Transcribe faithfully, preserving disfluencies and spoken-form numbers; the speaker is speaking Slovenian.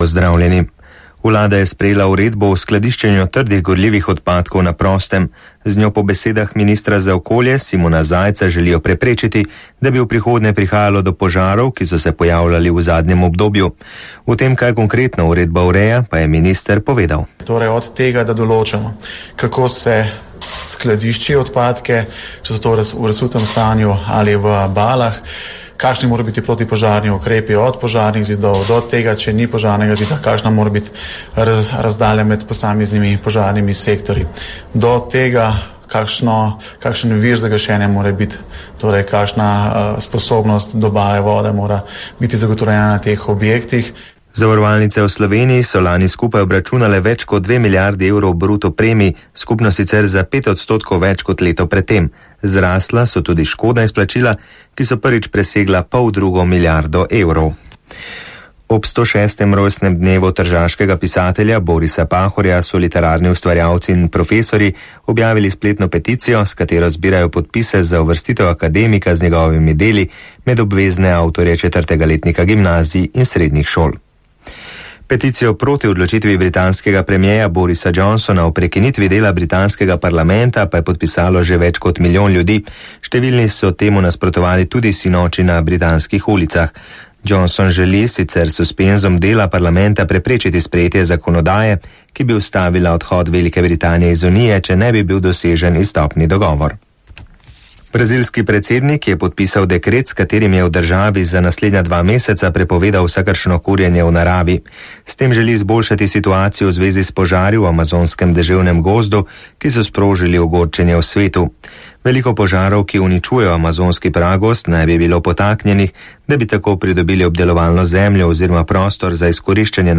pozdravljeni. Vlada je sprejela uredbo o skladiščenju trdih gorljivih odpadkov na prostem. Z njo po besedah ministra za okolje Simona Zajca želijo preprečiti, da bi v prihodnje prihajalo do požarov, ki so se pojavljali v zadnjem obdobju. V tem, kaj konkretno uredba ureja, pa je minister povedal. Torej od tega, da določamo, kako se skladišči odpadke, če so to v razsutem stanju ali v balah, kakšni morajo biti protipožarni ukrepi od požarnih zidov do tega, če ni požarnega zida, kakšna mora biti raz, razdalja med posameznimi požarnimi sektorji, do tega, kakšno, kakšen vir za gašenje mora biti, torej kakšna uh, sposobnost dobave vode mora biti zagotovljena na teh objektih. Zavarovalnice v Sloveniji so lani skupaj obračunale več kot dve milijardi evrov bruto premij, skupno sicer za pet odstotkov več kot leto predtem. Zrasla so tudi škodna izplačila, ki so prvič presegla pol drugo milijardo evrov. Ob sto šestem rojstnem dnevu tržaškega pisatelja Borisa Pahorja so literarni ustvarjalci in profesori objavili spletno peticijo, s katero zbirajo podpise za uvrstitev akademika z njegovimi deli med obvezne avtorje četrtega letnika gimnazij in srednjih šol. Peticijo proti odločitvi britanskega premierja Borisa Johnsona o prekinitvi dela britanskega parlamenta pa je podpisalo že več kot milijon ljudi. Številni so temu nasprotovali tudi sinoči na britanskih ulicah. Johnson želi sicer suspenzom dela parlamenta preprečiti sprejetje zakonodaje, ki bi ustavila odhod Velike Britanije iz Unije, če ne bi bil dosežen izstopni dogovor. Brazilski predsednik je podpisal dekret, s katerim je v državi za naslednja dva meseca prepovedal vsakršno kurjenje v naravi. S tem želi izboljšati situacijo v zvezi s požari v amazonskem deževnem gozdu, ki so sprožili ogorčenje v svetu. Veliko požarov, ki uničujejo amazonski pragost, naj bi bilo potaknjenih, da bi tako pridobili obdelovalno zemljo oziroma prostor za izkoriščanje